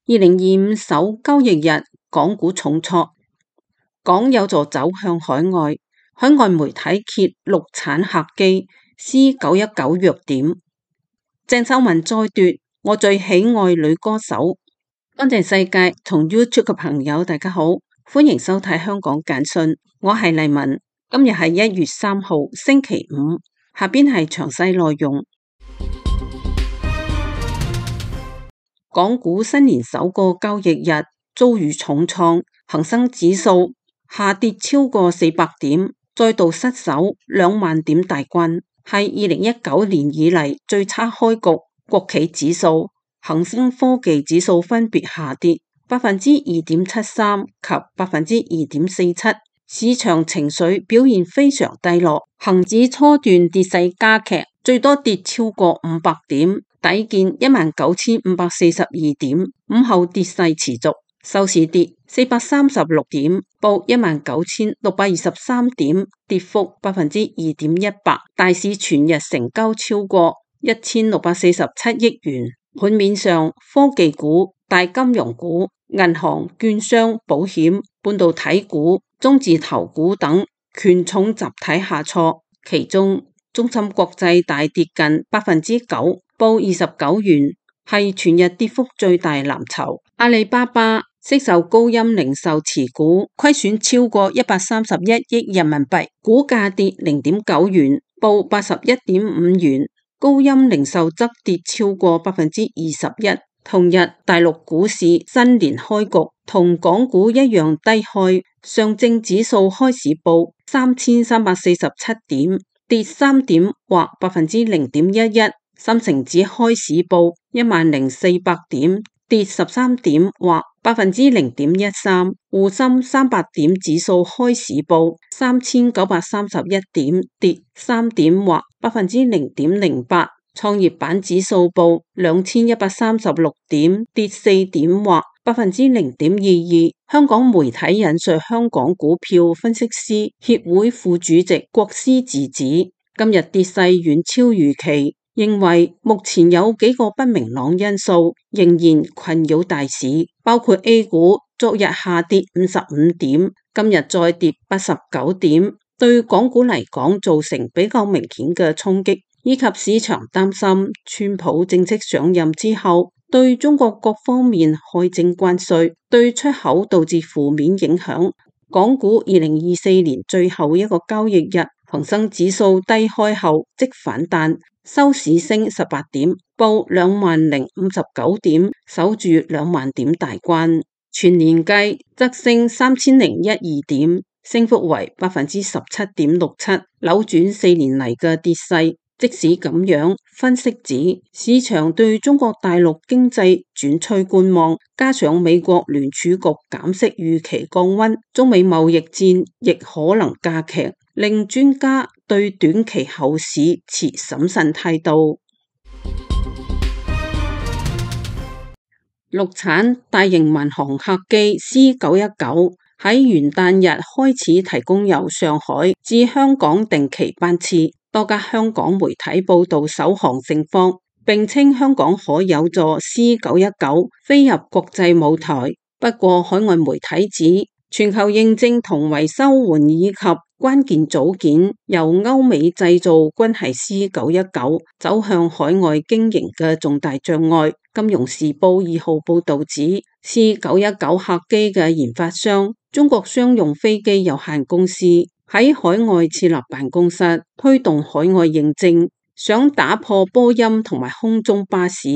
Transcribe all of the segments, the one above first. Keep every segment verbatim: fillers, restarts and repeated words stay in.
二零二五首交易日，港股重挫，港有助走向海外。海外媒體揭陸產客機 C 九一九弱點，鄭秀文再奪我最喜愛女歌手。乾淨世界同 YouTube 嘅朋友大家好，歡迎收睇香港簡訊，我係麗文。今日係一月三號星期五，下邊係詳細內容。港股新年首個交易日遭遇重創，恒生指數下跌超過四百點，再度失守兩萬點大關，係二零一九年以嚟最差開局。國企指數、恒生科技指數分別下跌百分之二點七三及百分之二點四七，市場情緒表現非常低落。恒指初段跌勢加劇，最多跌超過五百點。底見一萬九千五百四十二點，午後跌勢持續，收市跌四百三十六點，報一萬九千六百二十三點，跌幅百分之二點一八。大市全日成交超過一千六百四十七億元。盤面上，科技股、大金融股、銀行、券商、保險、半導體股、中字頭股等權重集體下挫，其中中芯國際大跌近百分之九。報二十九元，係全日跌幅最大藍籌。阿里巴巴悉售高鑫零售持股，虧損超過一百三十一億人民幣，股價跌零點九元，報八十一點五元。高鑫零售則跌超過百分之二十一。同日，大陸股市新年開局，同港股一樣低開，上證指數開市報三千三百四十七點，跌三點或百分之零點一一。深成指開市報一萬零四百點，跌十三點或百分之零點一三。滬深三百點指數開市報三千九百三十一點，跌三點或百分之零點零八。創業板指數報兩千一百三十六點，跌四點或百分之零點二二。香港媒體引述香港股票分析師協會副主席郭思治指，今日跌勢遠超預期。認為目前有幾個不明朗因素仍然困擾大市，包括 A 股昨日下跌五十五點，今日再跌八十九點，對港股嚟講造成比較明顯嘅衝擊，以及市場擔心川普正式上任之後對中國各方面開徵關稅，對出口導致負面影響。港股二零二四年最後一個交易日，恒生指數低開後即反彈，收市升十八點，報兩萬零五十九點，守住兩萬點大關。全年計則升三千零一二點，升幅為百分之十七點六七，扭轉四年嚟嘅跌勢。即使咁樣，分析指市場對中國大陸經濟轉趨觀望，加上美國聯儲局減息預期降溫，中美貿易戰亦可能加劇，令專家對短期後市持審慎態度。陸產大型民航客機 C 九一九喺元旦日開始提供由上海至香港定期班次。多家香港媒體報道首航盛況，並稱香港可有助 C 九一九飛入國際舞台。不過海外媒體指，全球認證同維修援以及關鍵組件由歐美製造均係 C 九一九走向海外經營嘅重大障礙。金融時報二號報道指， C 九一九客機嘅研發商中國商用飛機有限公司喺海外設立辦公室，推動海外認證，想打破波音同埋空中巴士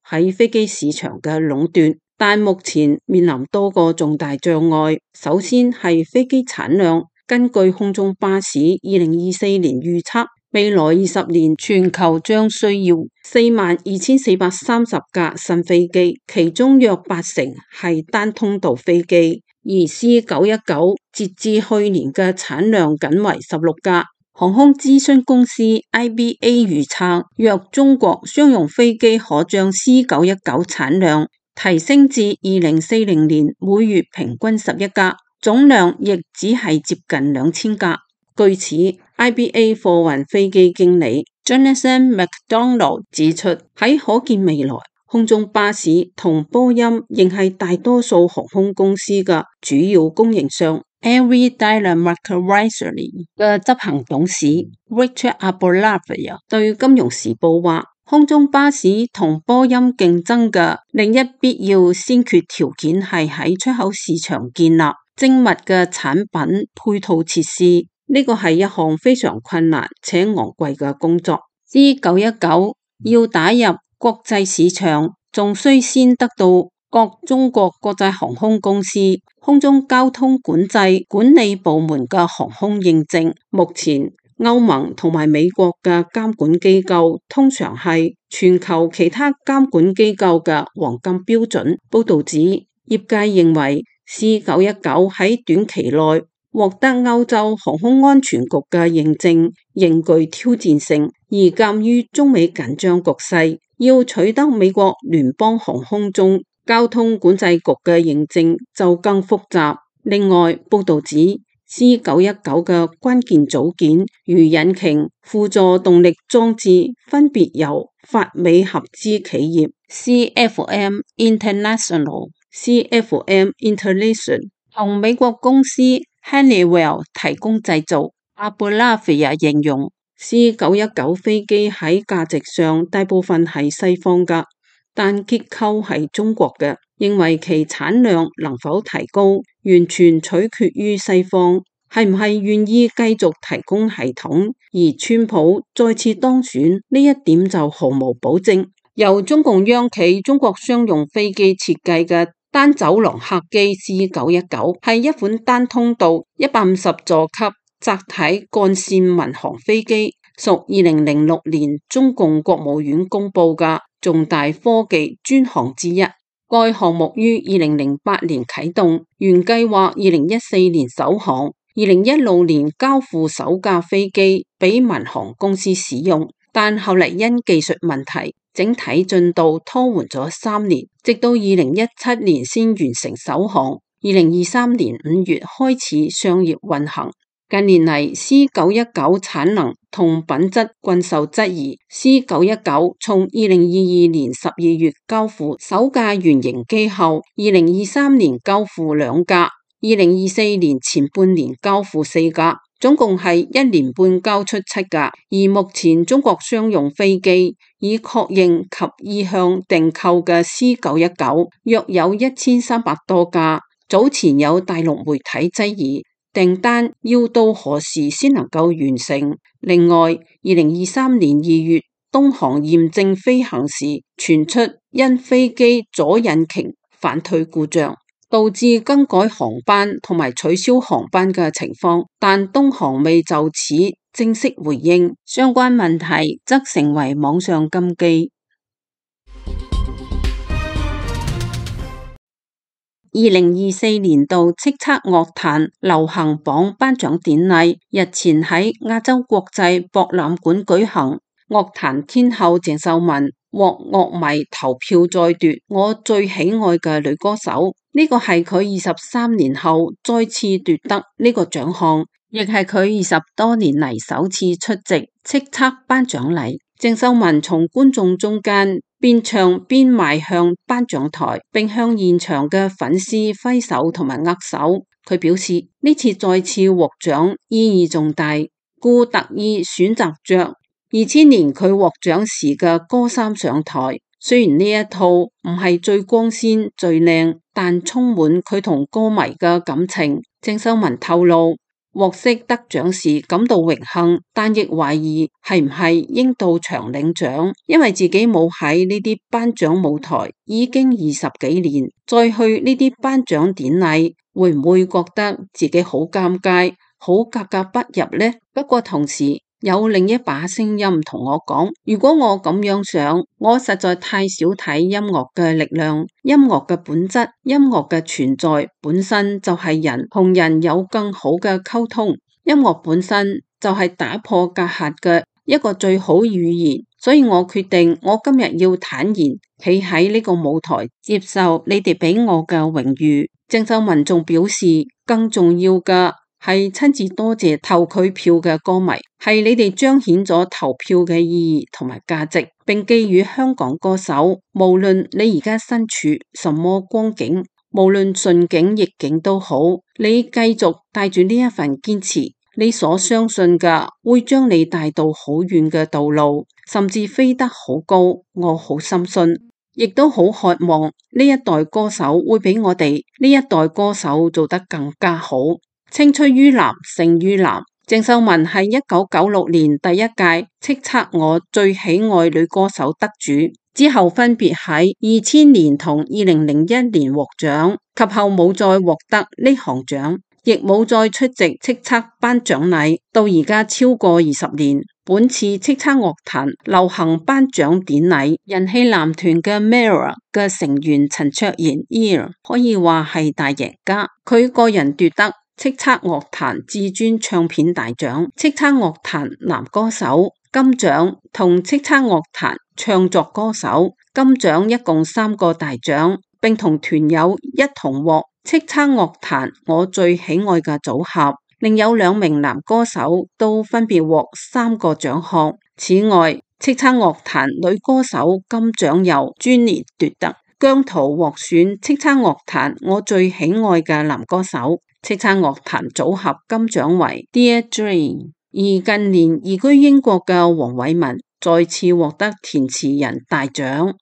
喺飛機市場嘅壟斷，但目前面臨多個重大障礙。首先係飛機產量，根據空中巴士二零二四年預測，未來二十年全球將需要四萬二千四百三十架新飛機，其中約八成係單通道飛機。而 C 九一九截至去年嘅產量僅為十六架。航空諮詢公司 I B A 預測，若中國商用飛機可將 C 九一九產量提升至二零四零年每月平均十一架，總量亦只係接近兩千架。據此 I B A 貨運飛機經理 Jonathan McDonald 指出，喺可見未來，空中巴士同波音仍係大多數航空公司嘅主要供應商。Air Dealer Mercury 嘅執行董事 Richard Aboulafia 對《金融時報》話，空中巴士同波音競爭嘅另一必要先決條件係喺出口市場建立精密嘅產品配套設施，呢個係一項非常困難且昂貴嘅工作。C 九一九要打入國際市場，仲需先得到各中國國際航空公司空中交通管制管理部門嘅航空認證。目前歐盟同埋美國嘅監管機構通常係全球其他監管機構嘅黃金標準。報道指，業界認為 C 九一九喺短期內獲得歐洲航空安全局嘅認證仍具挑戰性，而鑑於中美緊張局勢，要取得美國聯邦航空中交通管制局嘅認證就更複雜。另外，報道指 C 九一九嘅關鍵組件如引擎、輔助動力裝置分別由法美合資企業 C F M International、C F M International 同美國公司 Honeywell 提供製造。阿布拉菲亞形容 C 九一九飛機喺價值上大部分係西方㗎，但結構係中國嘅，認為其產量能否提高，完全取決於西方係唔係願意繼續提供系統，而川普再次當選呢一點就毫無保證。由中共央企中國商用飛機設計嘅單走廊客機 C 九一九係一款單通道一百五十座級窄體幹線民航飛機，屬二零零六年中共國務院公布嘅重大科技專項之一。該項目於二零零八年啟動，原計劃二零一四年首航，二零一六年交付首架飛機俾民航公司使用，但後嚟因技術問題，整體進度拖緩咗三年，直到二零一七年先完成首航，二零二三年五月開始商業運行。近年嚟 C 九一九產能同品質均受質疑。C 九一九從二零二二年十二月交付首架原型機後，二零二三年交付兩架，二零二四年前半年交付四架，總共係一年半交出七架。而目前中國商用飛機已確認及意向訂購嘅 C 九一九約有一千三百多架。早前有大陸媒體質疑訂單要到何時先能夠完成。另外，二零二三年二月東航驗證飛行時傳出因飛機左引擎反推故障，導致更改航班同埋取消航班嘅情況，但東航未就此正式回應，相關問題則成為網上禁忌。二零二四年度叱咤樂壇流行榜頒獎典禮日前喺亞洲國際博覽館舉行，樂壇天后鄭秀文獲樂迷投票再奪我最喜愛嘅女歌手，呢個係佢二十三年後再次奪得呢個獎項，亦係佢二十多年嚟首次出席叱咤頒獎禮。鄭秀文從觀眾中間邊唱邊邁向頒獎台，並向現場嘅粉絲揮手同埋握手。佢表示呢次再次獲獎意義重大，故特意選擇着二千年佢獲獎時嘅歌衫上台。雖然呢一套唔係最光鮮最靚，但充滿佢同歌迷嘅感情。鄭秀文透露，獲悉得獎時感到榮幸，但亦懷疑係唔係應到場領獎，因為自己冇喺呢啲頒獎舞台已經二十幾年，再去呢啲頒獎典禮，會唔會覺得自己好尷尬、好格格不入呢？不過同時有另一把聲音同我講，如果我咁樣想，我實在太少睇音樂嘅力量。音樂嘅本質，音樂嘅存在本身就係人同人有更好嘅溝通，音樂本身就係打破隔閡嘅一個最好語言，所以我決定我今日要坦然企喺呢個舞台，接受你哋俾我嘅榮譽。鄭秀文仲表示，更重要嘅係親自多謝投佢票嘅歌迷，係你哋彰顯咗投票嘅意義同埋價值，並寄予香港歌手，無論你而家身處什麼光景，無論順境逆境都好，你繼續帶住呢一份堅持，你所相信嘅會將你帶到好遠嘅道路，甚至飛得好高。我好深信，亦都好渴望呢一代歌手會比我哋呢一代歌手做得更加好。青出於藍勝於藍。鄭秀文係一九九六年第一屆叱咤我最喜愛女歌手得主，之後分別喺二千年同二零零一年獲獎，及後冇再獲得呢項獎，亦冇再出席叱咤頒獎禮。到而家超過二十年，本次叱咤樂壇流行頒獎典禮，人氣男團嘅 Mirror 嘅成員陳卓賢 Ear 可以話係大贏家，佢個人奪得叱咤樂壇至尊唱片大獎、叱咤樂壇男歌手金獎同叱咤樂壇唱作歌手金獎，一共三個大獎，並同團友一同獲叱咤樂壇我最喜愛嘅組合。另有兩名男歌手都分別獲三個獎項。此外，叱咤樂壇女歌手金獎由專年奪得，姜濤獲選叱咤樂壇我最喜愛嘅男歌手。叱咤樂壇組合金獎為 Dear Dream， 而近年移居英國嘅黃偉文再次獲得填詞人大獎。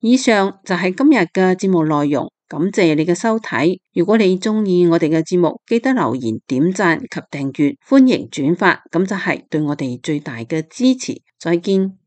以上就係今日嘅節目內容，感謝你嘅收睇。如果你鍾意我哋嘅節目，記得留言、點讚及訂閱，歡迎轉發，咁就係對我哋最大嘅支持。再見。